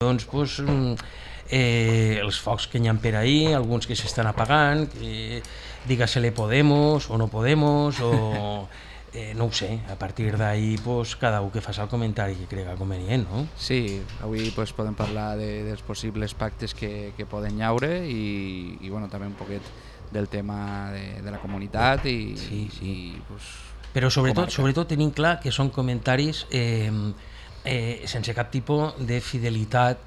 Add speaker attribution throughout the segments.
Speaker 1: doncs, els focs que hi ha per ahí, alguns que s'estan apagant, digue-se-le Podemos o no Podemos, o no ho sé, a partir d'ahí cada un que faci el comentari que crega convenient, no?
Speaker 2: Sí, avui podem parlar dels possibles pactes que poden llaure i també un poquet del tema de la comunitat i
Speaker 1: però sobretot tenim clar que són comentaris sense cap tipus de fidelitat,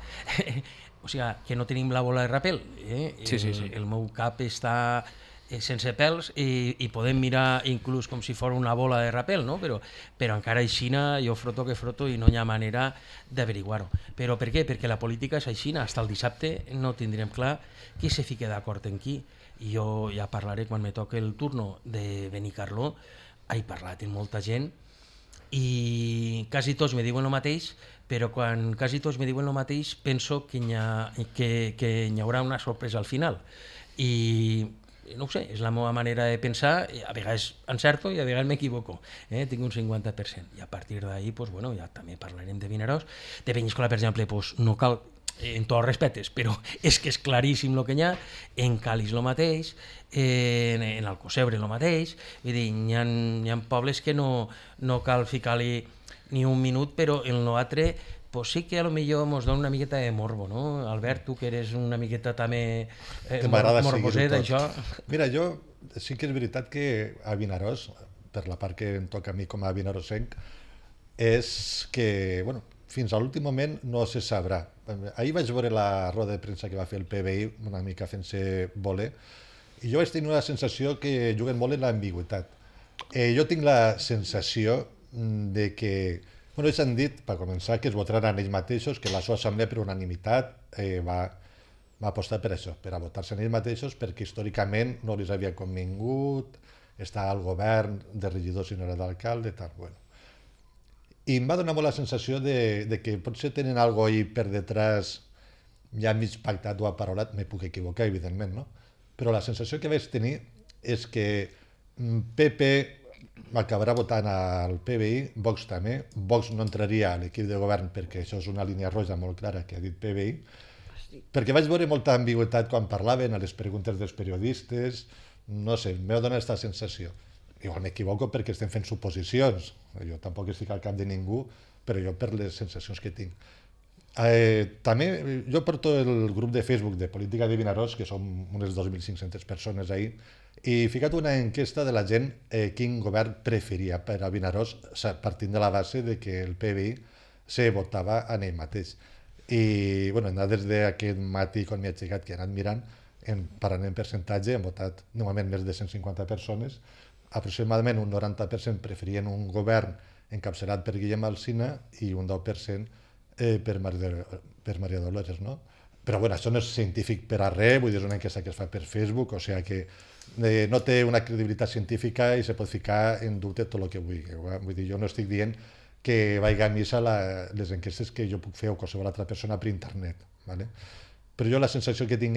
Speaker 1: o sigui, que no tenim la bola de rapel. El meu cap està sense pèls i podem mirar inclús com si fos una bola de rapel, no? Però encara aixina jo froto que froto i no hi ha manera d'averiguar-ho. Però per què? Perquè la política és aixina, fins el dissabte no tindrem clar qui se fica d'acord en qui. I jo ja parlaré quan me toque el turno de Benicarló. He parlat amb molta gent i quasi tots me diuen el mateix, però quan quasi tots me diuen el mateix penso que hi haurà una sorpresa al final. I no ho sé, és la meva manera de pensar, a vegades encerto i a vegades m'equivoco, tinc un 50%, i a partir d'ahí ja també parlarem de Vinaròs. De Penyíscola, per exemple, no cal, en tots els respectes, però és que és claríssim el que hi ha, en Càlig el mateix, en Alcocebre el mateix, vull dir, hi ha pobles que no cal ficar-li ni un minut, però el nosaltre sí que potser ens dona una miqueta de morbo, no? Albert, tu que eres una miqueta també morboset, això.
Speaker 3: Mira, jo sí que és veritat que a Vinaròs, per la part que em toca a mi com a vinarosenc, és que, fins a l'últim moment no se sabrà. Ahir vaig veure la roda de premsa que va fer el PBI, una mica fent-se voler, i jo vaig tenir una sensació que juguen molt en l'ambigüitat. Jo tinc la sensació de que ells han dit, per començar, que es votaran ells mateixos, que la seva assemblea per unanimitat va apostar per això, per a votar-se ells mateixos, perquè històricament no els havia convingut estar al govern de regidors i no era d'alcalde, tal. I em va donar molt la sensació de que potser tenen alguna cosa ahí per detrás, ja mig pactat o aparolat, me puc equivocar, evidentment, no? Però la sensació que vaig tenir és que PP acabarà votant al PBI, Vox també. Vox no entraria a l'equip de govern perquè això és una línia roja molt clara que ha dit PBI, perquè vaig veure molta ambigüitat quan parlaven a les preguntes dels periodistes, no sé, m'ha donat aquesta sensació. Igual m'equivoco perquè estem fent suposicions, jo tampoc estic al cap de ningú, però jo per les sensacions que tinc. També jo porto el grup de Facebook de Política de Vinaròs, que som unes 2.500 persones ahí, i he ficat una enquesta de la gent quin govern preferia per a Vinaròs, partint de la base de que el PBI se votava en ell mateix. I en dades d'aquest matí, quan m'he aixecat, que he anat mirant, parlant en percentatge, han votat normalment més de 150 persones, aproximadament un 90% preferien un govern encapçalat per Guillem Alsina i un 10% per Maria Dolores, no? Però això no és científic per a res, vull dir, és una enquesta que es fa per Facebook, o sigui que no té una credibilitat científica i se pot ficar en dubte tot el que vulgui. Vull dir, jo no estic dient que vagi a missa les enquestes que jo puc fer o qualsevol altra persona per internet. Però jo la sensació que tinc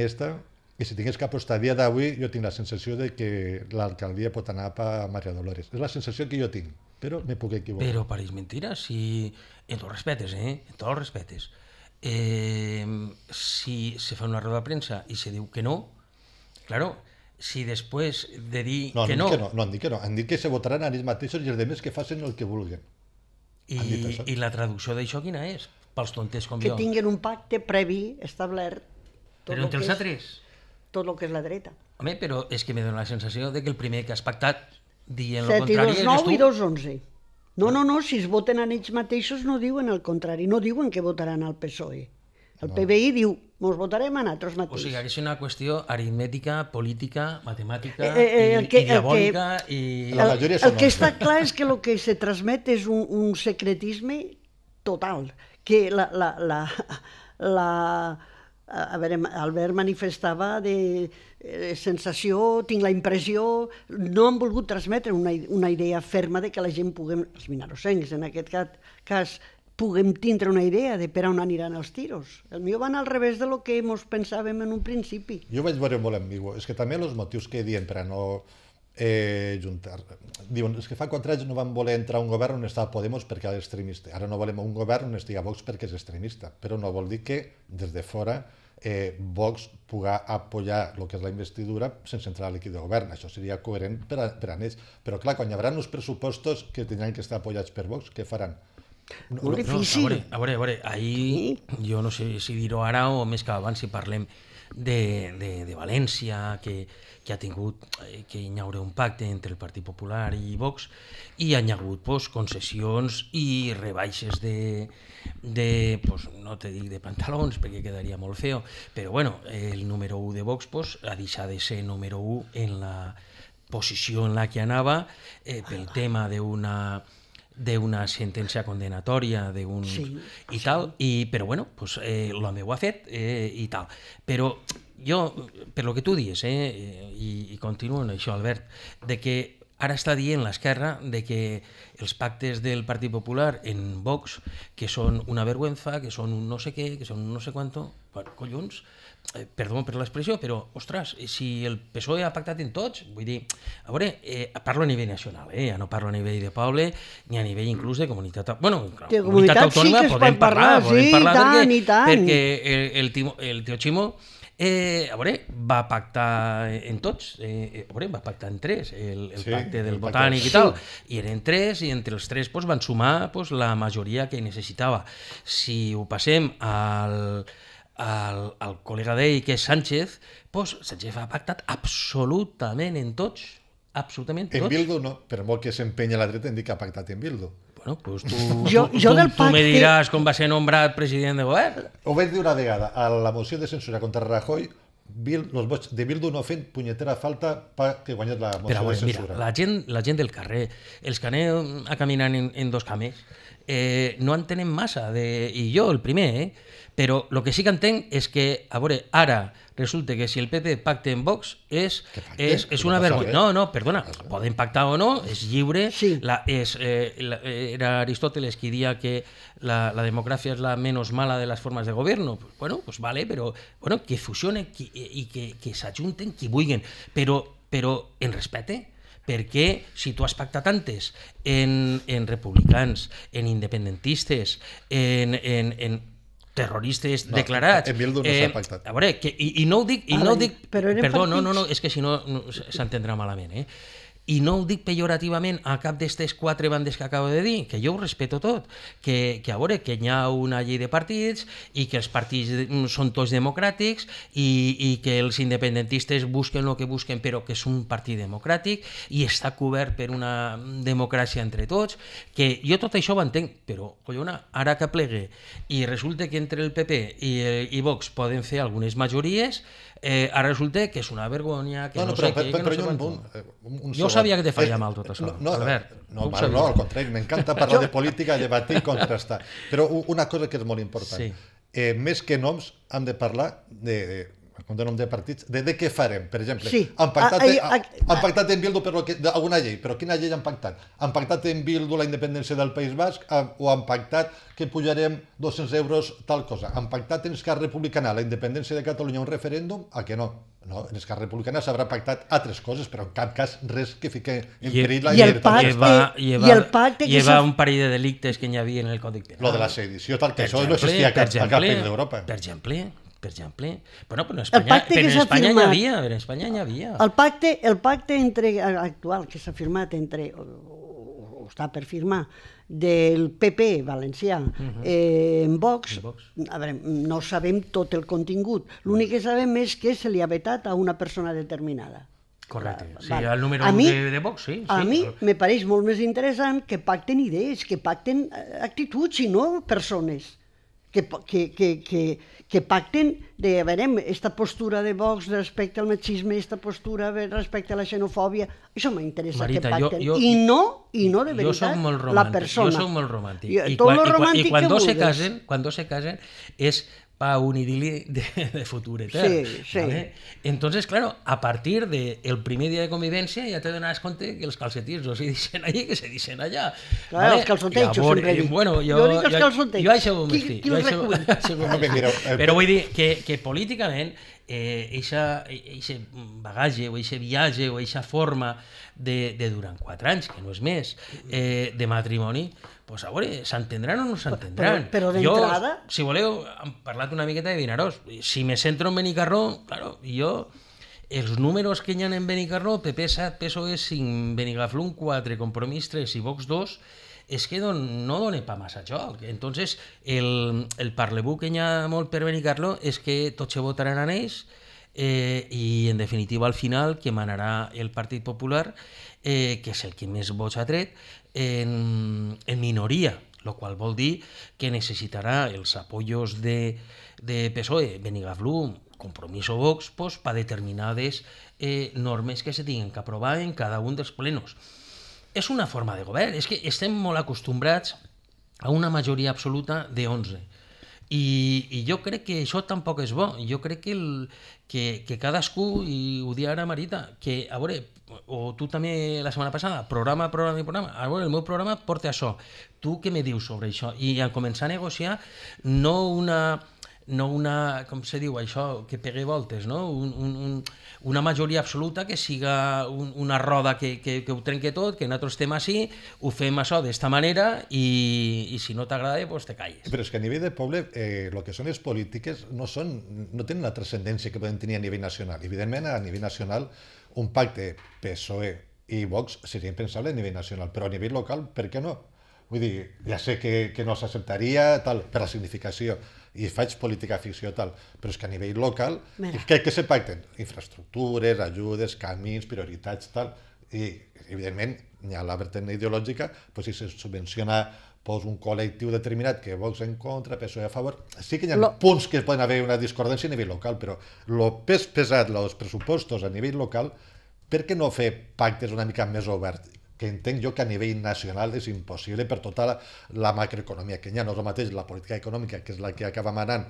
Speaker 3: i si tingués que apostar a dia d'avui, jo tinc la sensació de que l'alcaldia pot anar a Maria Dolores. És la sensació que jo tinc, però me puc equivocar.
Speaker 1: Però pareix mentira, si en tots els respectes, en tots els respectes, si se fa una roda de premsa i se diu que no, claro, si després de dir que no...
Speaker 3: No han dit que no, han dit que se votaran a ells mateixos i els altres que facin el que vulguin.
Speaker 1: I la traducció d'això quina és? Pels tontes com
Speaker 4: jo. Que tinguin un pacte previ establert.
Speaker 1: Però entre els altres?
Speaker 4: Tot el que és la dreta.
Speaker 1: Home, però és que me dona la sensació de que el primer que has pactat dient el contrari eres tu.
Speaker 4: 7 i 2, 9 i 2, 11. No, si es voten en ells mateixos no diuen el contrari, no diuen que votaran al PSOE. El PBI diu, mos votarem a nosaltres mateixos.
Speaker 1: O sigui, que és una qüestió aritmètica, política, matemàtica i diabòlica i...
Speaker 4: El que està clar és que el que se transmet és un secretisme total, que Albert manifestava de sensació, tinc la impressió, no han volgut transmetre una idea ferma de que la gent puguem, els vinarosencs en aquest cas, puguem tindre una idea de per on aniran els tiros. El meu van al revés de lo que ens pensàvem en un principi.
Speaker 3: Jo vaig veure molt ambigu. És que també els motius que diuen per a no juntar. Diuen, és que fa 4 anys no van voler entrar a un govern on estava Podemos perquè era extremista. Ara no volem un govern on estigui Vox perquè és extremista, però no vol dir que des de fora Vox pugui apoyar el que és la investidura sense entrar a l'equip de govern. Això seria coherent per a ells. Però clar, quan hi haurà uns pressupostos que tindran que estar apoyats per Vox, què faran?
Speaker 4: Molt difícil.
Speaker 1: A veure, ahir jo no sé si dir-ho ara o més que abans si parlem de València, que ha tingut, que hi haurà un pacte entre el Partit Popular i Vox, i hi ha hagut concessions i rebaixes no te dic de pantalons perquè quedaria molt feo, però bueno, el número 1 de Vox ha deixat de ser número 1 en la posició en la que anava pel tema d'una sentència condenatòria i tal, però bueno, l'home ho ha fet i tal. Però jo, per lo que tu dius, i continuo en això, Albert, de que ara està dient l'esquerra de que els pactes del Partit Popular en Vox, que són una vergüenza, que són un no sé què, que són un no sé quanto, bueno, collons, perdó per l'expressió, però, ostres, si el PSOE ha pactat en tots, vull dir, a veure, parlo a nivell nacional, ja no parlo a nivell de poble, ni a nivell inclús de comunitat autònoma.
Speaker 4: De comunitat
Speaker 1: autònoma
Speaker 4: sí que es pot parlar, sí, i tant.
Speaker 1: Perquè el tio Ximo va pactar en tots, va pactar en 3, el pacte del Botànic i tal, i eren 3, i entre els 3 van sumar la majoria que necessitava. Si ho passem al col·lega d'ell, que és Sánchez, Sánchez ha pactat absolutament en tots, absolutament tots.
Speaker 3: En Bildu no, per molt que s'empenya la dreta, em dic que ha pactat en Bildu.
Speaker 1: Bueno, pues tu me diràs com va ser nombrat president de govern.
Speaker 3: Ho vaig dir una vegada, a la moció de censura contra Rajoy, els vots de Bildu no fent punyetera falta perquè guanyés la moció de censura.
Speaker 1: Mira, la gent del carrer, els que anem a caminar en 2 cames, no entenem massa, i jo el primer, però el que sí que entenc és que, a veure, ara resulta que si el PP pacta en Vox és una vergonya. No, perdona, poden pactar o no, és lliure. Era Aristóteles qui dia que la democràcia és la menys mala de les formes de govern. Bueno, pues vale, però que fusionen i que s'ajunten qui vulguin, però en respecte. Perquè si tu has pactat antes en republicans, en independentistes, en terroristes declarats...
Speaker 3: En Bildu no s'ha pactat.
Speaker 1: A veure, i no ho dic... Perdó, no, és que si no s'entendrà malament, i no ho dic pejorativament a cap d'aquestes 4 bandes que acabo de dir, que jo ho respeto tot, que a veure, que hi ha una llei de partits i que els partits són tots democràtics i que els independentistes busquen el que busquen però que és un partit democràtic i està cobert per una democràcia entre tots, que jo tot això ho entenc, però collona, ara que plegue i resulta que entre el PP i Vox poden fer algunes majories, ara resulta que és una vergonya, que no sé què, que no sé quant. Jo sabia que te faria mal tot això, Albert.
Speaker 3: No, al contrari, m'encanta parlar de política, debatir i contrastar. Però una cosa que és molt important, més que noms hem de parlar com de nom de partits, de què farem. Per exemple, han pactat en Bildu alguna llei, però quina llei han pactat? Han pactat en Bildu la independència del País Basc o han pactat que pujarem 200 euros tal cosa? Han pactat en Esquerra Republicana la independència de Catalunya un referèndum? A que no? No, en Esquerra Republicana s'haurà pactat altres coses, però en cap cas res que fiqui en perill la
Speaker 4: llibertat.
Speaker 1: Lleva un parell de delictes que hi havia en el Còdic Penal.
Speaker 3: Lo de la sedició, tal, que això no existia a cap país d'Europa.
Speaker 1: Per exemple. Bueno, però en Espanya n'hi havia.
Speaker 4: El pacte actual que s'ha firmat o està per firmar del PP valencià en Vox, a veure, no sabem tot el contingut. L'únic que sabem és que se li ha vetat a una persona determinada.
Speaker 1: Correcte. Sí, el número 1 de Vox, sí.
Speaker 4: A mi me pareix molt més interessant que pacten idees, que pacten actituds i no persones. Que pacten de, a veure, esta postura de Vox respecte al machisme, esta postura respecte a la xenofòbia, això m'interessa, Marita, que pacten. I no de veritat la persona.
Speaker 1: Jo soc molt romàntic. I quan dos se casen és para un idili de futuro eterno.
Speaker 4: Sí, sí.
Speaker 1: ¿vale? Entonces, claro, a partir del primer día de convivencia ya te donas cuenta que els calcetins no se dicen allí, que se dicen allá.
Speaker 4: Clar, els calçotejos, sempre dic.
Speaker 1: Bueno,
Speaker 4: Jo dic els calçotejos.
Speaker 1: Jo això ho
Speaker 4: Qui els recull?
Speaker 3: Mira,
Speaker 1: Però vull dir que políticament eixe bagatge o eixe viatge o eixa forma de durant 4 anys, que no és més, de matrimoni, pues a veure, s'entendran o no s'entendran.
Speaker 4: Però d'entrada...
Speaker 1: Jo, si voleu, hem parlat una miqueta de Vinaròs. Si me centro en Benicarló, claro, jo... Els números que hi ha en Benicarló, PP 7, PSOE 5, Benigaflum 4, Compromís 3 i Vox 2, és que no dona pa massa joc. Entonces, el parlebú que hi ha molt per Benicarló és que tots se votaran en ells i, en definitiva, al final, que manarà el Partit Popular, que és el que més vots ha tret, en minoria, el qual vol dir que necessitarà els apoyos de PSOE, Benigaflum, Compromís o Vox, pues, per determinades normes que se tinguin que aprovar en cada un dels plenos. És una forma de govern, és que estem molt acostumbrats a una majoria absoluta de 11. I jo crec que això tampoc és bo. Jo crec que cadascú, i ho dia ara Marita, que, a veure, o tu també la setmana passada, programa, a veure, el meu programa porta això. Tu què me dius sobre això? I a començar a negociar no una, com se diu això, que pegue voltes, no? Una majoria absoluta que siga una roda que ho trenque tot, que nosaltres estem així, ho fem això d'esta manera i si no t'agrada, doncs te calles.
Speaker 3: Però és que a nivell de poble, el que són les polítiques no tenen la transcendència que poden tenir a nivell nacional. Evidentment, a nivell nacional, un pacte PSOE i Vox seria impensable a nivell nacional, però a nivell local, per què no? Vull dir, ja sé que no s'acceptaria tal, per la significació, i faig política ficció tal, però és que a nivell local, què se pacten? Infraestructures, ajudes, camins, prioritats, tal, i evidentment hi ha la vertent ideològica, doncs si se subvenciona un col·lectiu determinat que Vox en contra, PSOE a favor, sí que hi ha punts que poden haver una discordància a nivell local, però el pes pesat, els pressupostos a nivell local, per què no fer pactes una mica més oberts? Que entenc jo que a nivell nacional és impossible per tota la macroeconomia que hi ha. No és el mateix la política econòmica, que és la que acaba manant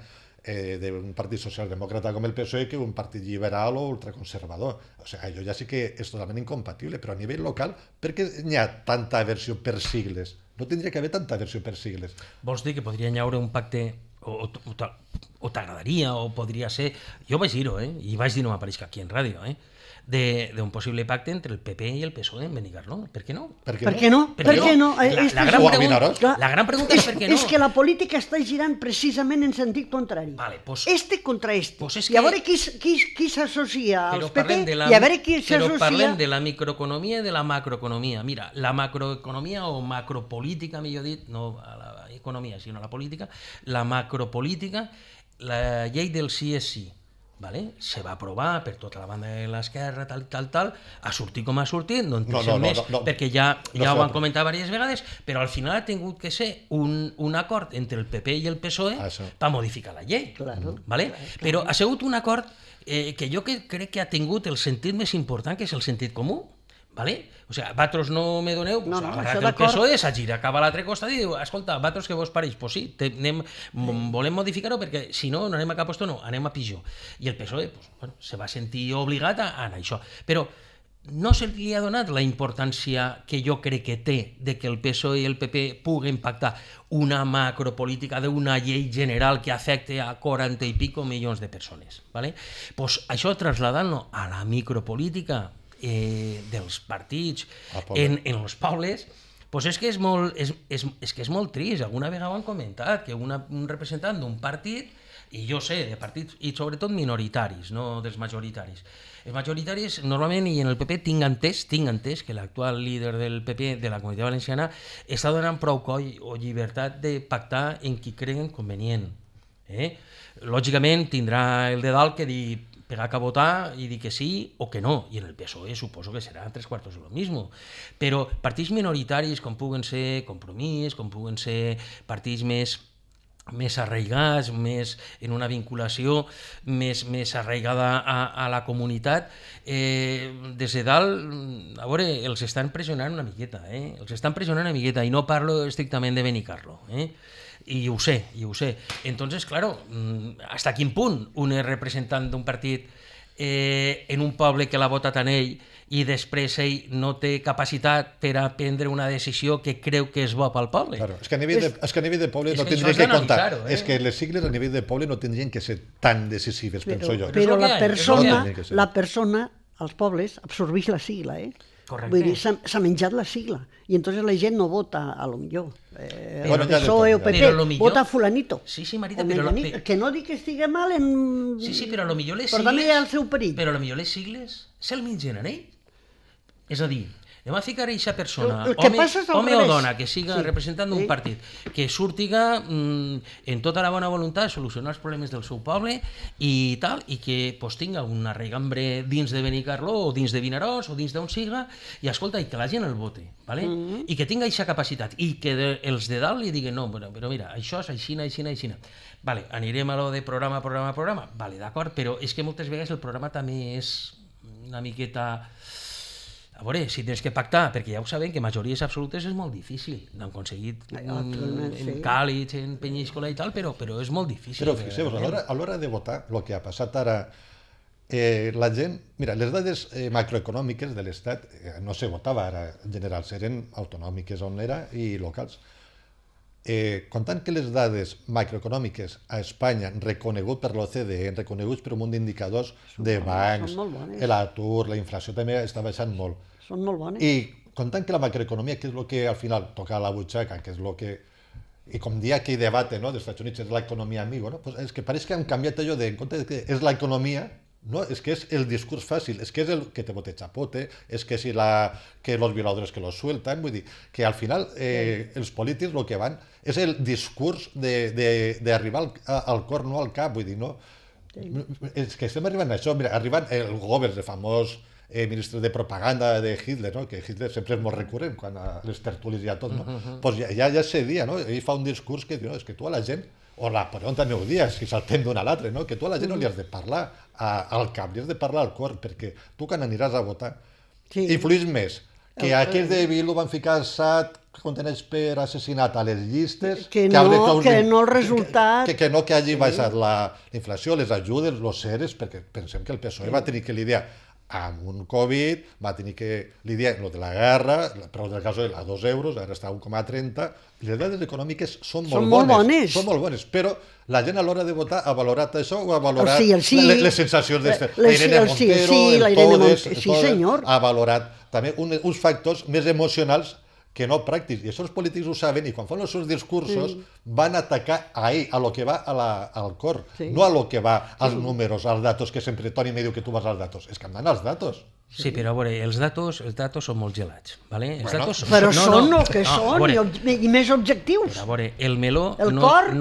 Speaker 3: d'un partit socialdemòcrata com el PSOE, que un partit liberal o ultraconservador. O sigui, allò ja sí que és totalment incompatible, però a nivell local, per què hi ha tanta aversió per sigles? No tindria que haver tanta aversió per sigles.
Speaker 1: Vols dir que podria hi haure un pacte o t'agradaria, o podria ser... Jo vaig dir-ho, i vaig dir, no m'apareix aquí en ràdio, d'un possible pacte entre el PP i el PSOE en Benicarló. Per què no?
Speaker 4: Per què no? Per què no?
Speaker 1: La gran pregunta és per què no.
Speaker 4: És que la política està girant precisament en sentit contrari. Este contra este. I a veure qui s'associa als PP i a veure qui s'associa...
Speaker 1: Però parlem de la microeconomia i de la macroeconomia. Mira, la macroeconomia o macropolítica, millor dit, no a l'economia, sinó a la política, la macropolítica, la llei del sí és sí. Se va aprovar per tota la banda de l'esquerra, tal, ha sortit com ha sortit, no en pensem més, perquè ja ho han comentat diverses vegades, però al final ha tingut que ser un acord entre el PP i el PSOE per modificar la llei. Però ha sigut un acord que jo crec que ha tingut el sentit més important, que és el sentit comú. O sigui, vosaltres no me doneu, agarrat el PSOE, s'ha girat cap a l'altre costat i diu, escolta, vosaltres què vos pareix? Doncs sí, volem modificar-ho perquè si no, no anem a cap lloc, no, anem a pitjor. I el PSOE se va sentir obligat a anar a això. Però no se li ha donat la importància que jo crec que té de que el PSOE i el PP puguen pactar una macropolítica d'una llei general que afecte a 40 i pico milions de persones. Doncs això trasladant-lo a la micropolítica dels partits en els pobles, doncs és que és molt trist. Alguna vegada ho han comentat, que un representant d'un partit, i jo sé, de partits, i sobretot minoritaris, no dels majoritaris. Els majoritaris, normalment, i en el PP tinc entès que l'actual líder del PP de la Comunitat Valenciana està donant prou coll o llibertat de pactar en qui creguen convenient. Lògicament, tindrà el de dalt que dir pegar que votar i dir que sí o que no, i en el PSOE suposo que serà 3/4 de lo mismo, però partits minoritaris com puguen ser Compromís, com puguen ser partits més arraigats, més en una vinculació més arraigada a la comunitat, des de dalt, a veure, els estan pressionant una miqueta, i no parlo estrictament de Benicarló, I ho sé, i ho sé. Entonces, claro, hasta quin punt un és representant d'un partit en un poble que l'ha votat en ell i després ell no té capacitat per a prendre una decisió que creu que és bo pel poble.
Speaker 3: Claro, és que a nivell de poble
Speaker 1: és
Speaker 3: no
Speaker 1: que
Speaker 3: tindrien
Speaker 1: això
Speaker 3: que
Speaker 1: és
Speaker 3: comptar.
Speaker 1: d'analitzar-ho,
Speaker 3: És que les sigles a nivell de poble no tindrien que ser tan decisives, penso jo.
Speaker 4: Però
Speaker 1: És el que hi ha,
Speaker 4: la persona, als pobles, absorbeix la sigla,
Speaker 1: Correcte.
Speaker 4: Vull dir, s'ha menjat la sigla. I entonces la gent no vota a lo millor.
Speaker 3: Bueno, ja de
Speaker 4: PSOE o
Speaker 3: tot,
Speaker 4: PP,
Speaker 1: Però lo millor-
Speaker 4: vota fulanito.
Speaker 1: Sí, sí, Marita,
Speaker 4: O
Speaker 1: però...
Speaker 4: menganito. Que no dic que estigui mal en...
Speaker 1: Sí, sí, però a lo millor les
Speaker 4: Però
Speaker 1: sigles...
Speaker 4: també hi ha el seu perill.
Speaker 1: Però a lo millor les sigles se'l mengen en ell. És a dir, anem a ficar aquesta persona,
Speaker 4: El que passa és al
Speaker 1: home o
Speaker 4: revés.
Speaker 1: dona, que siga
Speaker 4: Sí.
Speaker 1: representant d'un
Speaker 4: Sí.
Speaker 1: partit, que surtiga en tota la bona voluntat de solucionar els problemes del seu poble i tal, i que pues, tinga una regambre dins de Benicarló o dins de Vinaròs o dins d'on siga, i escolta, i que la gent el vote, ¿vale? I que tinga aquesta capacitat, i que els de dalt li diguen, no, però mira, això és aixina, aixina, aixina. Vale, anirem a lo de programa, vale, d'acord, però és que moltes vegades el programa també és una miqueta... A veure, si tens que pactar, perquè ja ho sabem que majories absolutes és molt difícil. N'han aconseguit en Càlig, en Penyíscola i tal, però és molt difícil.
Speaker 3: Però fixeu-vos, a l'hora de votar, el que ha passat ara, la gent... Mira, les dades macroeconòmiques de l'Estat no se votava ara en general, eren autonòmiques on era i locals. Comptant que les dades macroeconòmiques a Espanya, reconegut per l'OCDE, reconeguts per un munt d'indicadors de bancs, l'atur, la inflació també està baixant molt.
Speaker 4: Són molt bones.
Speaker 3: I comptant que la macroeconomia, que és el que al final toca a la butxaca, que és el que... I com dia aquell debat, no, dels Estats Units, és l'economia amigo, no? Pues és que pareix que han canviat allò de, en compte de que és l'economia, no, és que és el discurs fàcil, és que és el que te bote chapote, és que si que los violadores que los sueltan, vull dir, que al final els polítics el que van és el discurs d'arribar al cor, no al cap, vull dir, no? És que estem arribant a això, mira, arribant el Goebbels, el famós ministre de propaganda de Hitler, no? Que Hitler sempre és molt recurrent quan a les tertúlies hi ha tot, no? Pues ja se dia, no? Ell fa un discurs que diu, no, és que tu a la gent, o Napoleó també ho dia, si saltem d'un a l'altre, no? Que tu a la gent no li has de parlar al cap, li has de parlar al cor, perquè tu quan aniràs a votar influïs més que aquells de Bildu van ficar Assad contenets per assassinat a les llistes,
Speaker 4: que no el resultat...
Speaker 3: Que no que hagi baixat la inflació, les ajudes, els seres, perquè pensem que el PSOE va tenir que lidiar amb un Covid, va tenir que lidiar amb el de la guerra, però del cas a 2 euros, ara està a 1,30, i les dades econòmiques són molt bones, però la gent a l'hora de votar ha valorat això o ha valorat les sensacions d'Irene Montero, ha valorat també uns factors més emocionals que no pràctics, i això els polítics ho saben, i quan fan els seus discursos van atacar a ell, a lo que va al cor, no a lo que va als números, als datos, que sempre Toni me diu que tu vas als datos, és que han d'anar als datos.
Speaker 1: Sí, però a veure, els datos són molt gelats, ¿vale?
Speaker 4: Però són el que són, i més objectius.
Speaker 1: A veure, el meló...
Speaker 4: El cor,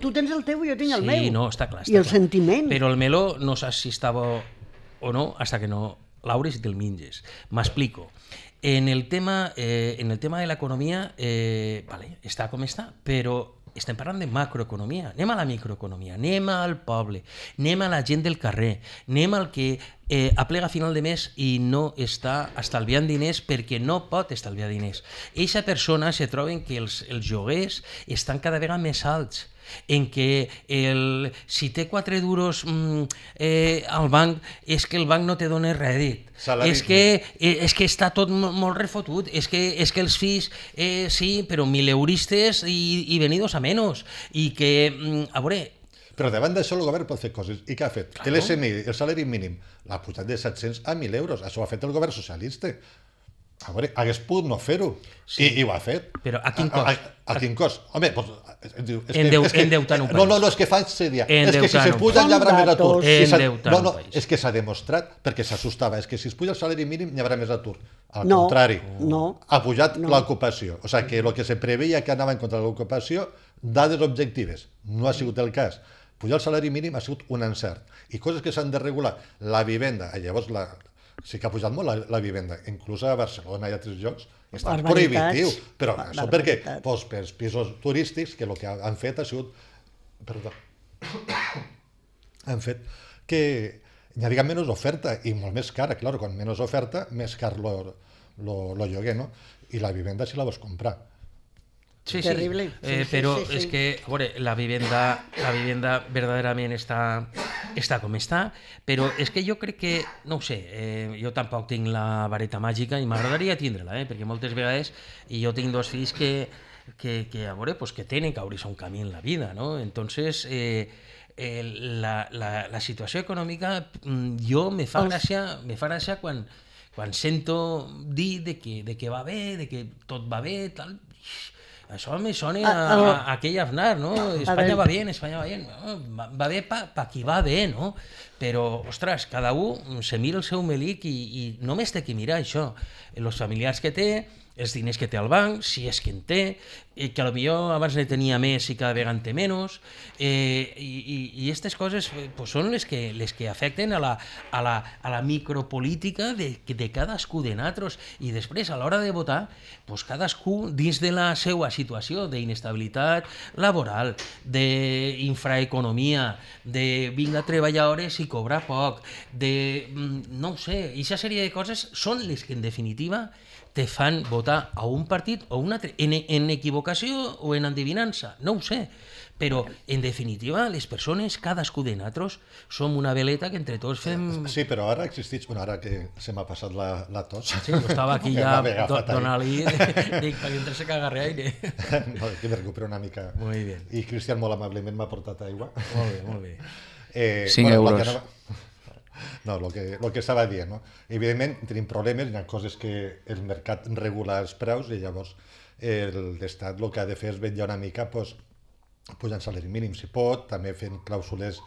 Speaker 4: tu tens el teu i jo tinc el meu.
Speaker 1: Sí, no, està clar.
Speaker 4: I el sentiment.
Speaker 1: Però el meló no saps si està bo o no, hasta que no l'obres i te'l menges. M'explico. En el tema de l'economia, vale, està com està, però estem parlant de macroeconomia. Anem a la microeconomia, anem al poble, anem a la gent del carrer, anem al que aplega a final de mes i no està estalviant diners perquè no pot estalviar diners. Eixa persona se troben que els lloguers estan cada vegada més alts, en què si té 4 duros al banc és que el banc no te dona rèdit, és que està tot molt refotut, és que els fills sí, però mileuristes i venidos a menos, i que, a veure...
Speaker 3: Però davant d'això el govern pot fer coses. I què ha fet? Que l'SMI, el salari mínim, l'ha pujat de 700 a 1.000 euros. Això ho ha fet el govern socialista. A veure, hagués pogut no fer-ho, i ho ha fet.
Speaker 1: Però a quin cost?
Speaker 3: A quin cost? Home,
Speaker 1: endeutant un país.
Speaker 3: No, és que fa seria. És que si se puja hi haurà més atur. No, és que s'ha demostrat, perquè s'assustava, és que si es puja el salari mínim hi haurà més atur. Al contrari, ha pujat l'ocupació. O sigui, que el que se preveia que anava en contra de l'ocupació, dades objectives, no ha sigut el cas. Pujar el salari mínim ha sigut un encert. I coses que s'han de regular. La vivenda, llavors sí que ha pujat molt la vivenda, inclús a Barcelona i a altres llocs, està prohibitiu, però això perquè pels pisos turístics, que el que han fet ha sigut, han fet que hi hagi menys oferta i molt més cara, clar, quan menys oferta, més car lo lloguer, no? I la vivenda si la vols comprar.
Speaker 1: Sí,
Speaker 4: terrible.
Speaker 1: però és que, a veure, la vivenda verdaderament està com està, però és que jo crec que, no ho sé, jo tampoc tinc la vareta màgica i m'agradaria tindre-la, perquè moltes vegades, i jo tinc 2 fills que a veure, pues que tenen que obrir-se un camí en la vida, ¿no? Entonces, la situació econòmica jo me fa gràcia quan sento dir de que va bé, de que tot va bé, tal. Això me sona a aquell Aznar, ¿no? Espanya va bien, Espanya va bien. Va bé pa qui va bé, ¿no? Però, ostres, cada un se mira el seu melic i només té que mirar això. Els familiars que té, els diners que té al banc, si és que en té, que potser abans ne tenia més i cada vegada en té menys, i aquestes coses pues, són les que afecten a la micropolítica de cadascú de nosaltres, i després a l'hora de votar pues, cadascú dins de la seva situació d'inestabilitat laboral, d'infraeconomia, de vinga a treballar hores i cobrar poc, de no ho sé, i aquesta sèrie de coses són les que en definitiva te fan votar a un partit o un altre, en equivocació o en endevinança, no ho sé, però en definitiva les persones, cadascú de nosaltres, som una veleta que entre tots fem...
Speaker 3: Sí, però ara existeix, bueno, ara que se m'ha passat la tos...
Speaker 1: Sí, jo estava aquí ja donant-li, dic, perquè entre se caga aire.
Speaker 3: No, que me recupero una mica.
Speaker 1: Muy bien.
Speaker 3: I Cristian molt amablement m'ha portat aigua.
Speaker 1: Molt bé.
Speaker 2: 5 euros.
Speaker 3: No, el que estava dient, no? Evidentment tenim problemes, hi ha coses que el mercat regula els preus i llavors l'Estat el que ha de fer és vetllar una mica pujant salari mínim si pot, també fent clàusules,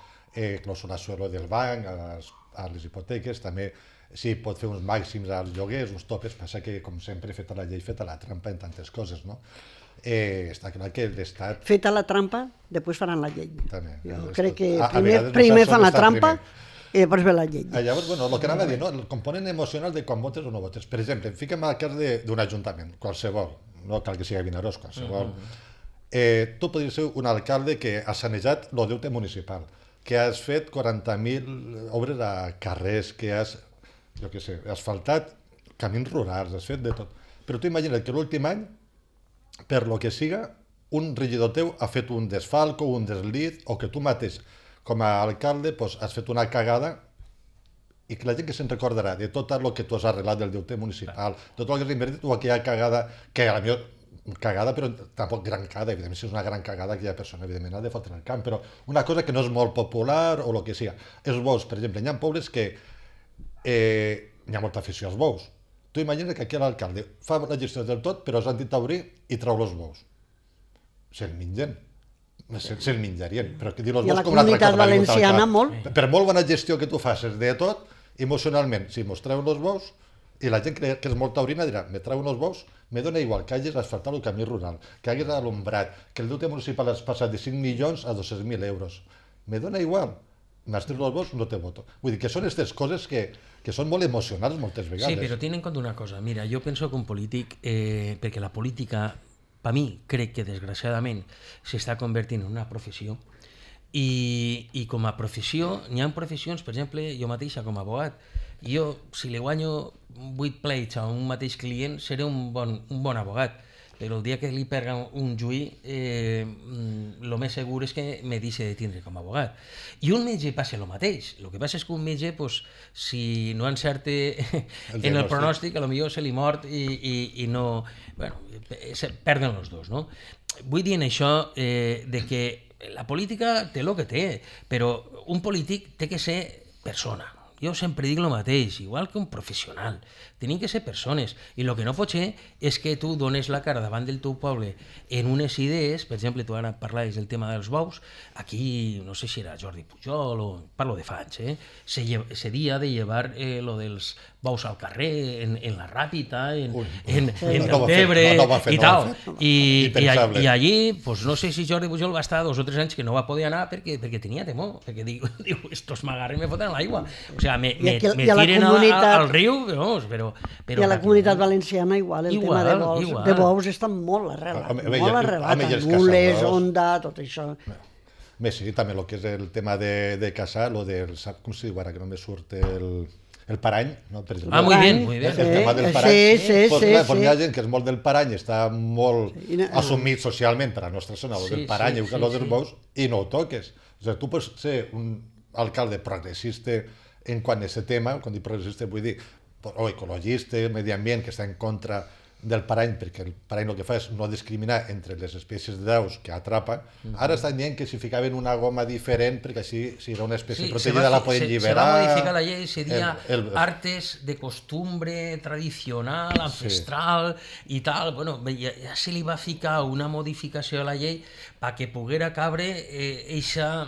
Speaker 3: clàusula suelo del banc a les hipoteques, també si pot fer uns màxims als lloguers, uns topes, passa que com sempre feta la llei, feta la trampa en tantes coses, no? Està clar que l'Estat...
Speaker 4: Feta la trampa, després faran la llei.
Speaker 3: També.
Speaker 4: Jo crec que
Speaker 3: vegades
Speaker 4: primer fan la
Speaker 3: està
Speaker 4: trampa
Speaker 3: primer.
Speaker 4: i després ve la llei.
Speaker 3: Llavors, bueno, el que anava a dir, no? El component emocional de quan votes o no votes. Per exemple, fiquem al cas d'un ajuntament, qualsevol, no cal que sigui Vinaròs, qualsevol. Tu podries ser un alcalde que has sanejat el deute municipal, que has fet 40.000 obres a carrers, que has, jo què sé, asfaltat camins rurals, has fet de tot. Però tu imagina't que l'últim any, per lo que siga, un regidor teu ha fet un desfalco, un deslit, o que tu mateix, com a alcalde, has fet una cagada i que la gent que se'n recordarà de tot el que tu has arreglat del deute municipal, tot el que has invertit o aquella cagada, que a la millor cagada, però tampoc gran cagada, evidentment si és una gran cagada aquella persona evidentment ha de fotre el camp, però una cosa que no és molt popular o el que sigui. Els bous, per exemple, hi ha pobles que hi ha molta afició als bous. Tu imagina que aquí l'alcalde fa la gestió del tot, però s'han dit a obrir i treu els bous. Se'l mengen. Se'l menjarien, però que dir els bous com una altra cosa.
Speaker 4: I a la Comunitat Valenciana molt.
Speaker 3: Per molt bona gestió que tu facis de tot, emocionalment, si mos treuen els bous, i la gent que és molt taurina dirà, me treuen els bous, me dona igual que hagis asfaltat el camí rural, que hagis alumbrat, que el deute municipal has passat de 5 milions a 200.000 euros. Me dona igual. M'has tret els bous, no te voto. Vull dir que són aquestes coses que són molt emocionals moltes vegades.
Speaker 1: Sí, però ten en compte una cosa. Mira, jo penso que un polític, perquè la política, per mi, crec que desgraciadament s'està convertint en una professió i com a professió, n'hi ha professions, per exemple, jo mateixa com a abogat, jo, si li guanyo 8 pleits a un mateix client, seré un bon abogat, però el dia que li perga un juí, el més segur és que me deixi de tindre com a abogat. I un metge passa el mateix. El que passa és que un metge, si no encerte en el pronòstic, potser se li mort i no... Bueno, perden els dos, no? Vull dir en això de que la política té el que té, però un polític té que ser persona. Jo sempre dic el mateix, igual que un professional. Tenim que ser persones. I el que no pot ser és que tu dones la cara davant del teu poble en unes idees, per exemple, tu ara parlaves del tema dels bous, aquí, no sé si era Jordi Pujol o parlo de fa anys, se dia de llevar lo dels bous al carrer, en la Ràpita, en Deltebre i tal. I allí, no sé si Jordi Pujol va estar 2 o 3 anys que no va poder anar perquè tenia temor, perquè diu, estos m'agarren i me foten a l'aigua. O sigui, me tiren al riu, però...
Speaker 4: I a la Comunitat Valenciana igual, el tema de bous està molt arrelat, Nules, Onda, tot això.
Speaker 3: Sí, també el que és el tema de caçar, com se diu ara, que no me surt el... el parany, no? Per exemple,
Speaker 1: Muy bien, muy bien.
Speaker 3: el tema del parany.
Speaker 4: Sí.
Speaker 3: Hi ha gent que és molt del parany, està molt assumit socialment per a la nostra zona, lo del parany, lo dels bous, i no ho toques. O sigui, tu pots ser un alcalde progressista en quant a aquest tema, quan dic progressista vull dir, o ecologista, medi ambient, que està en contra del parany, perquè el parany el que fa és no discriminar entre les espècies d'aus que atrapa. Ara estan dient que si ficaven una goma diferent, perquè així, si era una espècie protegida, la poden lliberar.
Speaker 1: Se va modificar la llei, sería artes de costumbre tradicional, ancestral i tal. Bueno, ja se li va ficar una modificació a la llei perquè poguera cabre eixa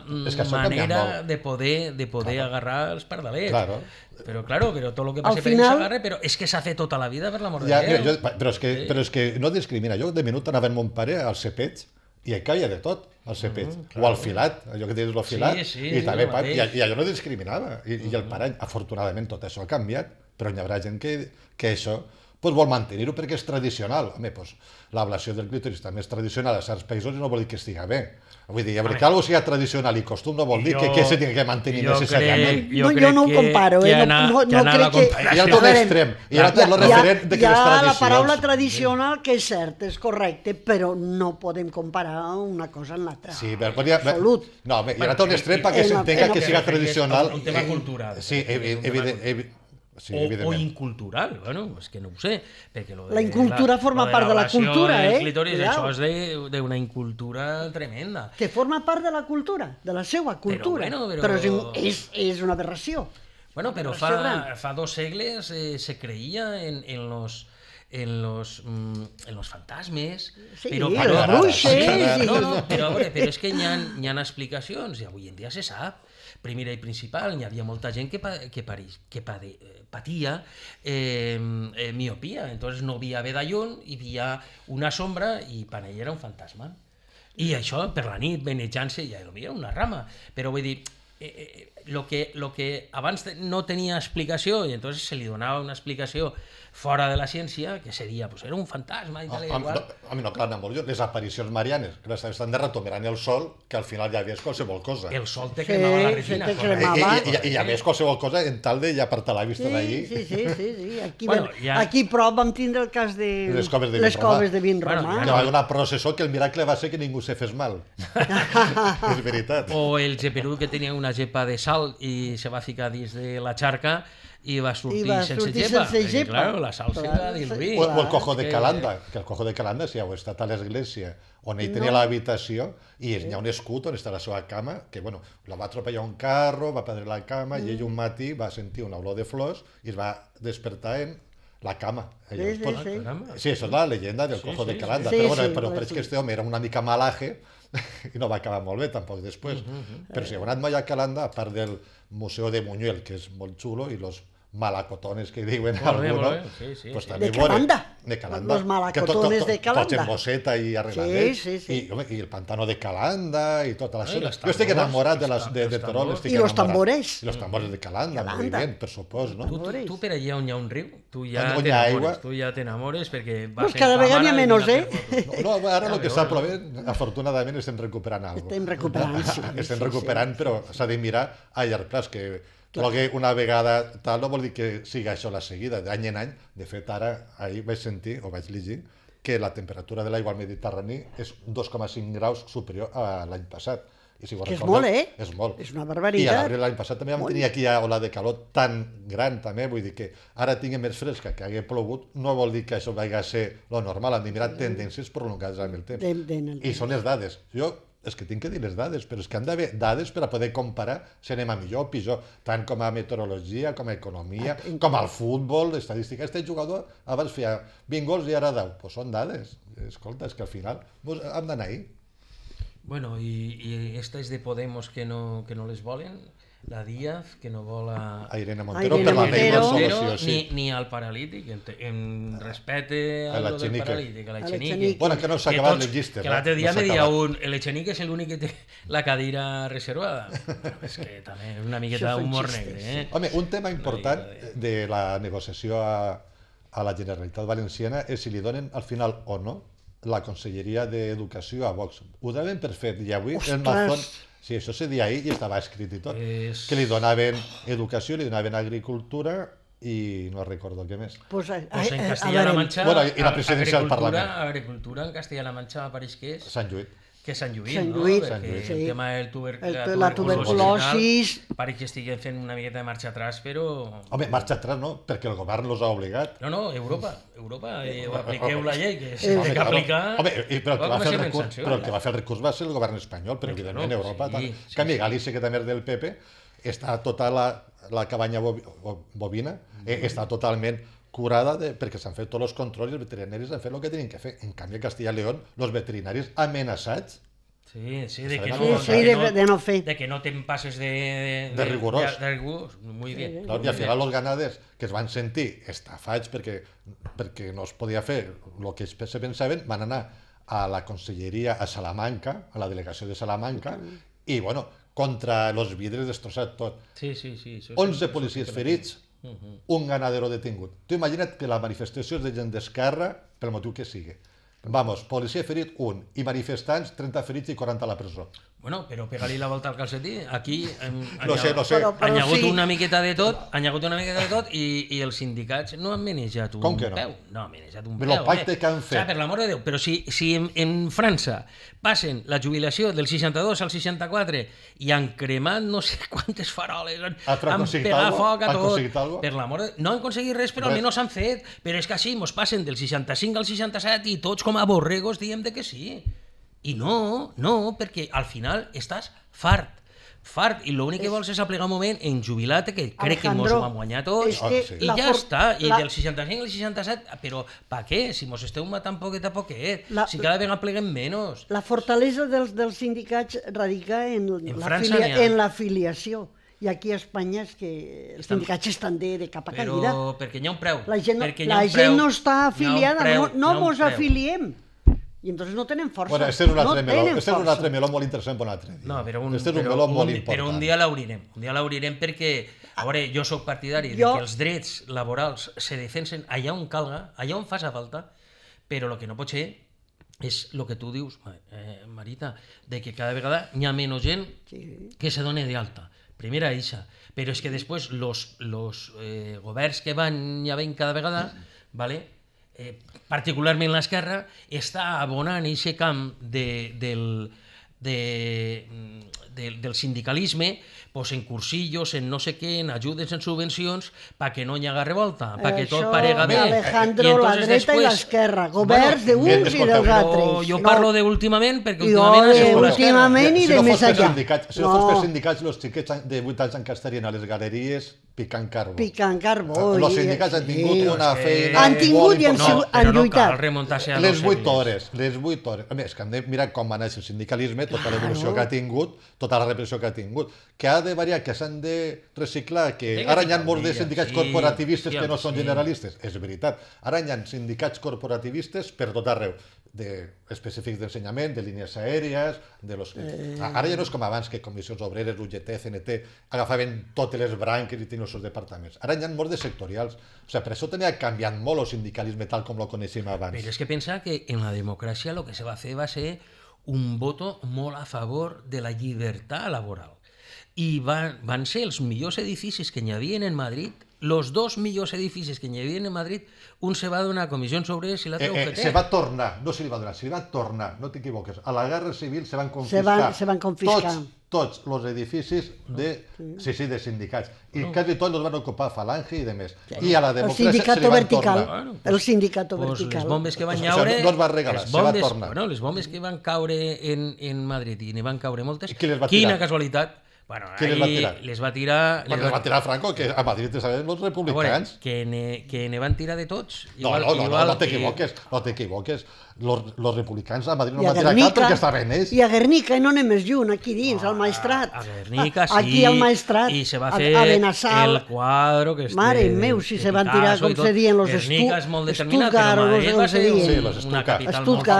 Speaker 1: manera de poder agarrar els pardalets.
Speaker 3: Claro.
Speaker 1: Però tot el que passi per ells s'agarra, però és que s'ha fet tota la vida per l'amor de Déu.
Speaker 3: Però és que no discrimina. Jo de minut anava amb mon pare al cepeig i hi caia de tot, al cepeig. O al filat, allò que dius, el filat. I també, i allò no discriminava. I el parany, afortunadament, tot això ha canviat, però hi haurà gent que això vol mantenir-ho perquè és tradicional. Home, l'ablació del clítoris també és tradicional a certs països i no vol dir que estiga bé. Vull dir, que algo sigui tradicional i costum no vol dir que se tingui que mantenir necessàriament.
Speaker 4: Jo no ho comparo, no crec que...
Speaker 3: Hi ha tot l'extrem, hi ha tot el referent de que les tradicions...
Speaker 4: Hi ha la paraula tradicional, que és cert, és correcte, però no podem comparar una cosa amb l'altra.
Speaker 3: Sí, absolut. No, hi ha tot l'extrem perquè s'entenga que siga tradicional.
Speaker 1: Un tema cultural.
Speaker 3: Sí, evident. Sí,
Speaker 1: o incultural, bueno, és que no ho sé, perquè
Speaker 4: la incultura forma part de la cultura,
Speaker 1: això és d'una incultura tremenda.
Speaker 4: Que forma part de la cultura, de la seva cultura, però és una aberració.
Speaker 1: Bueno, però fa 2 segles se creia en los fantasmes,
Speaker 4: però els bruixes...
Speaker 1: Però és que hi ha explicacions, i avui en dia se sap. Primera i principal, hi havia molta gent que patia miopia, entonces no via bé de lluny, hi havia una sombra i per ell era un fantasma. I això, per la nit, venejant-se, ja era una rama. Però vull dir, lo que abans no tenia explicació, i entonces se li donava una explicació fora de la ciència, que seria, pues era un fantasma i tal i igual.
Speaker 3: A mi no, clar, molt. Les aparicions marianes, que estan derretomerant el sol, que al final ja veies qualsevol cosa.
Speaker 1: El sol te cremava la retina.
Speaker 3: I ja veies qualsevol cosa en tal de ja apartar la vista d'allí.
Speaker 4: Sí. Aquí prop vam tindre el cas de les coves de vin romà.
Speaker 3: Hi va una processó que el miracle va ser que ningú se fes mal. És veritat.
Speaker 1: O el geperú que tenia una gepa de sal i se va ficar dins de la xarca i va sortir sense gepa. Perquè, clar, la sal se va diluir.
Speaker 3: O el cojo de Calanda, que el cojo de Calanda, si heu estat a l'església, on ell tenia l'habitació i hi ha un escut on està la seva cama, que, bueno, la va atropellar un carro, va perdre la cama i ell un matí va sentir una olor de flors i es va despertar en la cama. Sí, això és la llegenda del cojo de Calanda. Però és que este home era una mica malaje i no va acabar molt bé tampoc després. Però si heu anat mai a Calanda, a part del Museu de Buñuel, que és molt xulo, i los malacotones que diuen algunos, pues també
Speaker 4: de Calanda, los malacotones de Calanda,
Speaker 3: tots en bosseta i arregladets, i el pantano de Calanda i tota la zona. Jo estic enamorat de Terol,
Speaker 4: i los tambores.
Speaker 3: I los tambores de Calanda, molt bé, per supòs, no?
Speaker 1: Tu per allà on hi ha un riu, tu ja t'enamores perquè
Speaker 4: vas cada vegada n'hi ha menys,
Speaker 3: No, ara el que està plovent, afortunadament estem recuperant alguna cosa. Estem recuperant, però s'ha de mirar a llarg plaç, que plogue una vegada tal no vol dir que sigui això la seguida, d'any en any. De fet, ara, ahir vaig sentir, o vaig llegir, que la temperatura de l'aigua al Mediterrani és 2,5 graus superior a l'any passat.
Speaker 4: Que és molt,
Speaker 3: És molt.
Speaker 4: És una barbaritat.
Speaker 3: I a l'abril l'any passat també vam tenir aquí ola de calor tan gran, també, vull dir que ara tinguem més fresca, que hagi plogut, no vol dir que això vagi a ser lo normal, hem de mirar tendències prolongades amb el temps. I són les dades. És que tinc que dir les dades, però és que han d'haver dades per a poder comparar si anem a millor o pitjor, tant com a meteorologia, com a economia, com al futbol, estadística. Este jugador abans feia 20 gols i ara 10. Doncs són dades. Escolta, és que al final hem d'anar ahí.
Speaker 1: Bueno, i esta és de Podemos que no les volen, la Díaz, que no vol a
Speaker 3: Irene Montero, per la llei del solució, sí.
Speaker 1: Ni al paralític, en respecte a lo del paralític, a l'Echenique.
Speaker 3: Bueno, que no s'ha acabat les llistes.
Speaker 1: Que l'altre dia me deia l'Echenique és l'únic que té la cadira reservada. És que també és una miqueta d'humor negre.
Speaker 3: Home, un tema important de la negociació a la Generalitat Valenciana és si li donen al final o no la Conselleria d'Educació a Vox. Ho donen per fet, i avui el Mazón Sí, això se deia ahir i estava escrit i tot. Que li donaven educació, li donaven agricultura i no recordo què més.
Speaker 4: Pues
Speaker 1: en Castilla-La Mancha,
Speaker 3: Bueno, i la presidència del Parlament.
Speaker 1: Agricultura en Castilla-La Mancha pareix que és...
Speaker 3: Sant Lluís.
Speaker 1: Que és Sant Lluís,
Speaker 4: Sant
Speaker 1: no?
Speaker 4: Lluís,
Speaker 1: Perquè
Speaker 4: sí.
Speaker 1: el tema de
Speaker 4: La tuberculosis...
Speaker 1: Pareix que estiguen fent una miqueta de marxa atrás, però...
Speaker 3: Home, marxa atrás no, perquè el govern els ha obligat.
Speaker 1: No, Europa, apliqueu la llei, que s'ha d'aplicar...
Speaker 3: Home, però el que va fer el recurs va ser el govern espanyol, però evidentment Europa... En canvi, Galícia, que també és del PP, està tota la cabanya bovina, està totalment curada perquè s'han fet tots els controls i els veterinaris han fet el que tenien que fer. En canvi, a Castilla y León, els veterinaris amenaçats
Speaker 4: de no fer.
Speaker 1: De que no te'n passes de
Speaker 3: rigorós.
Speaker 1: De rigorós, muy bien.
Speaker 3: I al final els ganaders que es van sentir estafats perquè no es podia fer el que se pensaven, van anar a la conselleria a Salamanca, a la delegació de Salamanca, i, bueno, contra els vidres destrossat tot.
Speaker 1: Sí.
Speaker 3: 11 policies ferits, un ganadero detingut. Tu imagina't que la manifestació és de gent d'esquerra, pel motiu que sigui. Vamos, policia ferit, 1, i manifestants, 30 ferits i 40 a la presó.
Speaker 1: Bueno, però pega-li la volta al calcetí. Aquí
Speaker 3: no sé.
Speaker 1: Han hagut una miqueta de tot, i els sindicats no han manejat un peu. No han manejat un peu.
Speaker 3: El pacte que han fet.
Speaker 1: Per l'amor de Déu, però si en França passen la jubilació del 62 al 64 i han cremat no sé quantes faroles, han pegat foc a tot. Per l'amor de Déu, no han aconseguit res, però almenys s'han fet. Però és que així mos passen del 65 al 67 i tots com a borregos diem de que sí. I no, perquè al final estàs fart, i l'únic que vols és aplegar un moment en jubilat, que crec que mos ho hem guanyat tots, i ja està, i del 65 al 67, però per què? Si mos esteu matant poquet a poquet, si cada vegada pleguem menys.
Speaker 4: La fortalesa dels sindicats radica en l'afiliació. I aquí a Espanya és que els sindicats estan de capa caiguda.
Speaker 1: Però perquè hi ha un preu.
Speaker 4: La gent no està afiliada, no mos afiliem. I entonces no tenen força.
Speaker 3: Bueno, este és un altre meló molt interessant per un altre dia.
Speaker 1: No, però un dia l'obrirem perquè, a veure, jo sóc partidari de que els drets laborals se defensen allà on calga, allà on faça falta, però el que no pot ser és el que tu dius, Marita, de que cada vegada hi ha menys gent que se doni d'alta. Primera eixa. Però és que després els governs que van hi havent cada vegada, vale? Particularment l'esquerra, està abonant aquest camp del sindicalisme en cursillos, en no sé què, en ajudes, en subvencions, perquè no hi haga revolta, perquè tot parega bé.
Speaker 4: Alejandro, la dreta i l'esquerra, governs d'uns i dels altres.
Speaker 1: Jo parlo d'últimament, perquè
Speaker 4: últimament i de més allà.
Speaker 3: Si no fos per sindicats, els xiquets de 8 anys estarien a les galeries picant carbó. Els sindicats han tingut una feina...
Speaker 4: Han tingut i han lluitat.
Speaker 3: Les 8 hores. A més, que hem de mirar com va néixer el sindicalisme, tota l'evolució que ha tingut, tota la repressió que ha tingut, que ha de variar, que s'han de reciclar, que ara hi ha molts de sindicats corporativistes que no són generalistes. És veritat. Ara hi ha sindicats corporativistes per tot arreu, específics d'ensenyament, de línies aèries... Ara ja no és com abans, que comissions obreres, UGT, CNT, agafaven totes les branques i tenien els seus departaments. Ara hi ha molts de sectorials. Per això tenia canviat molt el sindicalisme tal com lo coneixem abans.
Speaker 1: Però és que pensa que en la democràcia el que se va fer va ser un voto molt a favor de la llibertat laboral. I van ser els millors edificis que hi havia en Madrid, els 2 millors edificis que hi havia en Madrid, un se va donar a comissions obreres i l'altre a UGT.
Speaker 3: Se va tornar, no se li va donar, se li va tornar, no t'equivoques. A la Guerra Civil se van confiscar tots els edificis de sindicats. I quasi tots els van ocupar Falange i demés. I a la democràcia se li van tornar.
Speaker 4: El sindicato vertical.
Speaker 1: Les bombes que van caure...
Speaker 3: No es va regalar, se va tornar.
Speaker 1: Les bombes que van caure en Madrid, i n'hi van caure moltes,
Speaker 3: quina
Speaker 1: casualitat.
Speaker 3: Qui les va tirar?
Speaker 1: Les va tirar...
Speaker 3: Les va tirar Franco, que a Madrid te sabem els republicans.
Speaker 1: Que ne van tirar de tots.
Speaker 3: No t'equivoques. Los republicans a Madrid no van tirar cap perquè estaven ells.
Speaker 4: I a Guernica, i no anem més lluny, aquí dins, al Maestrat.
Speaker 1: A Guernica, sí.
Speaker 4: Aquí al Maestrat.
Speaker 1: I se va fer el quadro que...
Speaker 4: Mare meu, si se van tirar, com se diuen, los
Speaker 1: Guernica és molt determinat, però Madrid va ser una capital molt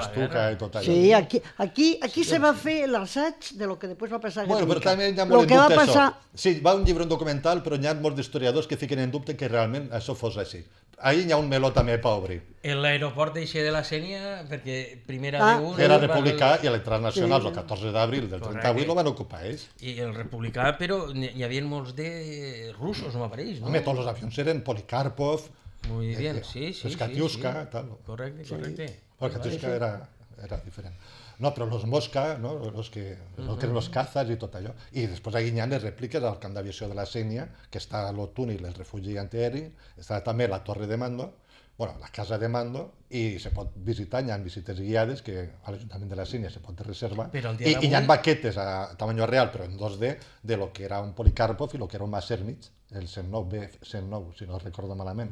Speaker 3: Estuca i tot allò.
Speaker 4: Sí, aquí se va fer l'assaig de lo que després va passar a Guernica.
Speaker 3: Però també hi ha molt en dubte això. Sí, va un llibre, un documental, però hi ha molts d'historiadors que fiquen en dubte que realment això fos així. ahir hi ha un meló també per obrir.
Speaker 1: L'aeroport d'eixe de la Sènia, perquè primer
Speaker 4: Ah,
Speaker 1: era d'un...
Speaker 3: Era republicà i a l'entrada nacional, el 14 d'abril del
Speaker 1: Correcte.
Speaker 3: 38, el van ocupar ells.
Speaker 1: I el republicà, però hi havia molts de russos, no m'apareix, no?
Speaker 3: Home, tots els avions eren Polikarpov,
Speaker 1: Muy bien, sí, sí.
Speaker 3: Katiuska,
Speaker 1: sí.
Speaker 3: tal.
Speaker 1: Correcte, correcte.
Speaker 3: Bueno, Katiuska era diferent. No, però los Mosca, no? Los que eren los cazas i tot allò. I després aquí hi ha les rèpliques al camp d'aviació de la Sénia, que està a l'Otúnil, el refugi antiaeri, està també la torre de mando, bueno, la casa de mando, i se pot visitar, hi ha visites guiades que a l'Ajuntament de la Sénia se pot reservar.
Speaker 1: Però el dia
Speaker 3: I hi ha
Speaker 1: d'avui-
Speaker 3: maquetes a tamany real, però en 2D, de lo que era un Polikarpov i lo que era un Messerschmitt, el 109, B109, si no recordo malament.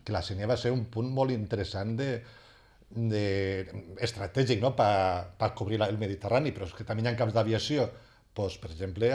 Speaker 3: Que la Sénia va ser un punt molt interessant estratègic, no? per cobrir el Mediterrani, però és que també hi ha camps d'aviació, doncs, per exemple,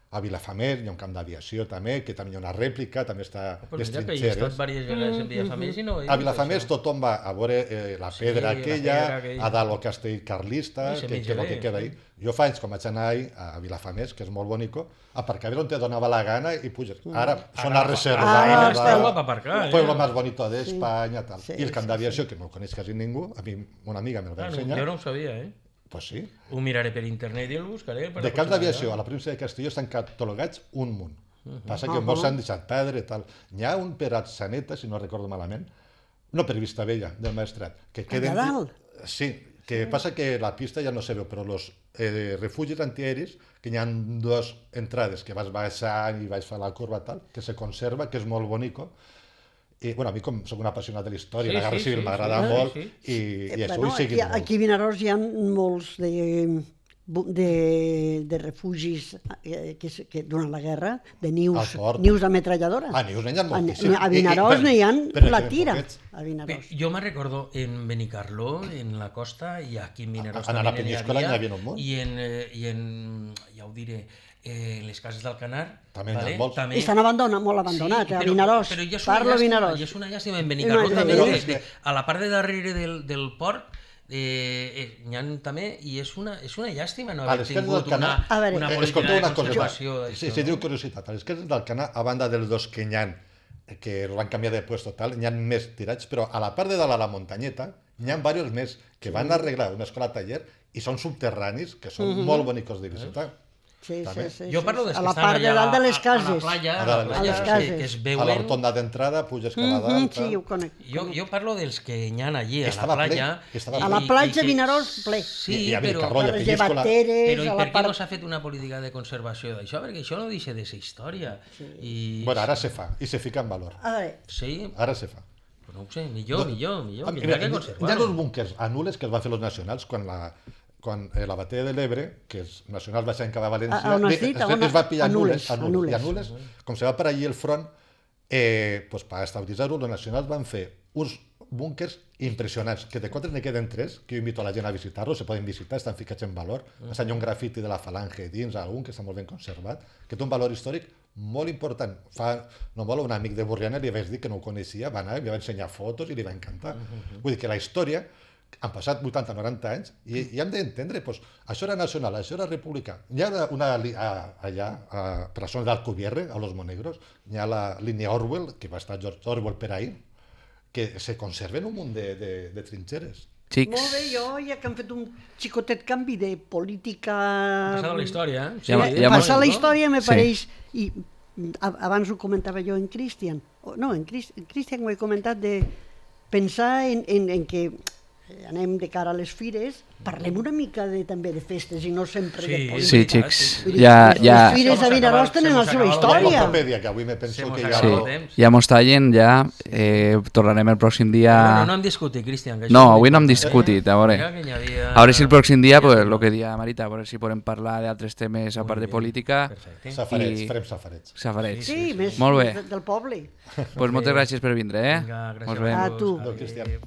Speaker 3: a Vilafamer hi ha un camp d'aviació també, que també hi ha una rèplica, també està
Speaker 1: Pues
Speaker 3: les
Speaker 1: mira que hi he estat
Speaker 3: trinxeres.
Speaker 1: diverses vegades en Vilafamés i no...
Speaker 3: A Vilafamer tothom va a veure la pedra
Speaker 1: la
Speaker 3: aquella,
Speaker 1: pedra aquella.
Speaker 3: a dalt el castell carlista,
Speaker 1: Sí, se
Speaker 3: que
Speaker 1: menja
Speaker 3: és el
Speaker 1: bé,
Speaker 3: que queda ahí. Jo fa anys, com vaig anar ahir a Vilafamés, que és molt bonico, aparcaves on te donava la gana i puges. Ara són a reserva.
Speaker 1: està guapa per aparcar,
Speaker 3: El pueblo más bonito de España, tal.
Speaker 4: Sí,
Speaker 3: I el camp
Speaker 4: sí,
Speaker 3: d'aviació, que no el coneix quasi ningú, a mi una amiga me'l va ensenyar.
Speaker 1: Jo no ho sabia, eh?
Speaker 3: Pues sí.
Speaker 1: Ho miraré per internet i el buscaré.
Speaker 3: De camps d'aviació a la província de Castelló estan catalogats un munt. Passa que molts s'han deixat perdre, tal. N'hi ha un per Atzeneta, si no recordo malament, no per Vistabella, del Maestrat, que queden...
Speaker 4: Allà dalt?
Speaker 3: Sí, que passa que la pista ja no se veu, però els refugis antiaeris, que hi ha dues entrades, que vas baixant i vas fer la curva tal, que se conserva, que és molt bonico. I, bueno, a mi, com soc un apassionat de la història,
Speaker 1: Sí,
Speaker 3: la Guerra
Speaker 1: sí,
Speaker 3: Civil
Speaker 1: sí,
Speaker 3: m'agrada
Speaker 1: sí,
Speaker 3: molt,
Speaker 1: sí.
Speaker 3: i això
Speaker 4: Bueno,
Speaker 3: ho seguim molt.
Speaker 4: aquí a Vinaròs hi ha molts de refugis que durant la guerra, de nius
Speaker 3: Al port.
Speaker 4: d'ametralladora.
Speaker 3: A Nius n'hi ha moltíssims.
Speaker 4: A Vinaròs n'hi ha
Speaker 3: però
Speaker 4: la
Speaker 3: que
Speaker 4: tira,
Speaker 3: poquets.
Speaker 4: a Vinaròs.
Speaker 1: Jo me'n recordo en Benicarló, en la costa, i aquí en Vinaròs
Speaker 3: A la
Speaker 1: també n'hi
Speaker 3: Peníscola n'hi havia un munt.
Speaker 1: ja ho diré, les cases del Canar,
Speaker 3: També n'hi ha molts.
Speaker 4: Estan molt abandonats, a
Speaker 1: però-
Speaker 4: Vinaròs.
Speaker 1: Però ja és
Speaker 4: Parlo a Vinaròs.
Speaker 1: I és una llàstima en Benicarló
Speaker 4: No,
Speaker 1: també,
Speaker 4: però
Speaker 3: és que-
Speaker 1: a la part de darrere del port, n'hi ha també, i és una llàstima no
Speaker 3: A
Speaker 1: haver
Speaker 3: les cases
Speaker 1: tingut
Speaker 3: del Canà,
Speaker 4: A veure,
Speaker 1: una política
Speaker 3: escolteu
Speaker 1: de
Speaker 3: una cosa,
Speaker 1: conservació
Speaker 3: sí,
Speaker 1: d'això.
Speaker 3: sí, diu curiositat, a les cases del Canà, a banda dels dos que n'hi ha, que els van canviar de puesto tal, n'hi ha més tirats, però a la part de dalt a la muntanyeta n'hi ha diversos més que van arreglar una escola taller i són subterranis, que són molt bonicos de visitar.
Speaker 4: Sí,
Speaker 3: També.
Speaker 4: sí, sí,
Speaker 1: Jo
Speaker 4: sí,
Speaker 1: parlo
Speaker 4: sí.
Speaker 1: dels
Speaker 4: A
Speaker 1: que
Speaker 4: la
Speaker 1: estan
Speaker 4: part de
Speaker 1: allà
Speaker 4: dalt de les
Speaker 1: a la
Speaker 4: cases.
Speaker 1: playa,
Speaker 3: A
Speaker 1: a la
Speaker 3: les
Speaker 1: playa,
Speaker 4: cases.
Speaker 1: que es
Speaker 3: A la
Speaker 1: veuen...
Speaker 3: rotonda d'entrada puges cap a dalt.
Speaker 4: Sí, ho conec.
Speaker 1: Jo parlo dels que hi ha allí, a
Speaker 3: Estava
Speaker 1: la
Speaker 3: ple,
Speaker 1: playa.
Speaker 3: estava
Speaker 4: A la platja Vinaròs, ple.
Speaker 1: Sí,
Speaker 3: I a
Speaker 1: però...
Speaker 3: Benicarló, i a
Speaker 4: les
Speaker 3: Peníscola.
Speaker 4: llevateres,
Speaker 1: Però i
Speaker 4: a
Speaker 1: per
Speaker 4: la
Speaker 1: què no
Speaker 4: part...
Speaker 1: s'ha fet una política de conservació d'això? Perquè això no deixa de ser història. I...
Speaker 3: Bueno, ara se fa, i se fica en valor.
Speaker 4: A veure,
Speaker 1: Sí,
Speaker 3: Ara se fa.
Speaker 1: però no ho sé, millor,
Speaker 3: Ah,
Speaker 1: que
Speaker 3: mira,
Speaker 1: hi ha que
Speaker 3: hi ha
Speaker 1: conservar-ho.
Speaker 3: uns búnquers anules que es van fer els nacionals quan la batalla de l'Ebre, que els nacionals van ser cap a València,
Speaker 4: A on has dit? A on?
Speaker 3: es va pillar
Speaker 4: A Nules,
Speaker 3: anules, i anules, com se va per allí el front, pues, per estabilitzar-ho, els nacionals van fer uns búnquers impressionants, que de quatre ne queden tres, que jo invito a la gent a visitar-los, se poden visitar, estan ficats en valor. Hi ha un grafiti de la falange dins, algun que està molt ben conservat, que té un valor històric molt important. No molt, un amic de Borriana li vaig dir que no ho coneixia, va anar, li va ensenyar fotos i li va encantar. Vull dir que la història, han passat 80-90 anys i hem d'entendre, doncs, això era nacional, això era republicà. Hi ha allà, per la zona d'Alcubierre, a Los Monegros, hi ha la línia Orwell, que va estar George Orwell per ahir, que se conserven un munt de trinxeres.
Speaker 4: molt bé, jo ja que han fet un xicotet canvi de política...
Speaker 1: Passada la història, eh?
Speaker 4: Passar la història me
Speaker 2: Sí.
Speaker 4: pareix... I abans ho comentava jo en Cristian. No, en Cristian ho he comentat de pensar en que anem de cara a les fires, parlem una mica també de festes i no sempre de política.
Speaker 2: Sí, xics,
Speaker 4: Vull dir,
Speaker 2: ja...
Speaker 4: Les fires a Vinaròs tenen la seva història.
Speaker 3: L'enciclopèdia, que avui me penso que ja...
Speaker 2: Sí,
Speaker 1: temps.
Speaker 2: ja mos tallen, ja tornarem el pròxim dia...
Speaker 1: Bueno, no hem discutit, Cristian. que això
Speaker 2: No,
Speaker 1: és
Speaker 2: avui no hem
Speaker 1: important,
Speaker 2: discutit, a veure.
Speaker 1: Mira que hi havia-
Speaker 2: A veure si el pròxim dia, pues, el que dia Marita, a veure si podem parlar d'altres temes a part de política.
Speaker 1: Perfecte.
Speaker 3: Safarets,
Speaker 2: I-
Speaker 3: farem safarets.
Speaker 2: Safarets.
Speaker 4: Sí, més
Speaker 2: Molt bé.
Speaker 4: del poble.
Speaker 2: Pues moltes gràcies per vindre, eh?
Speaker 1: Vinga, gràcies
Speaker 2: Mos
Speaker 1: a
Speaker 2: veiem.
Speaker 4: A tu.
Speaker 3: Cristian.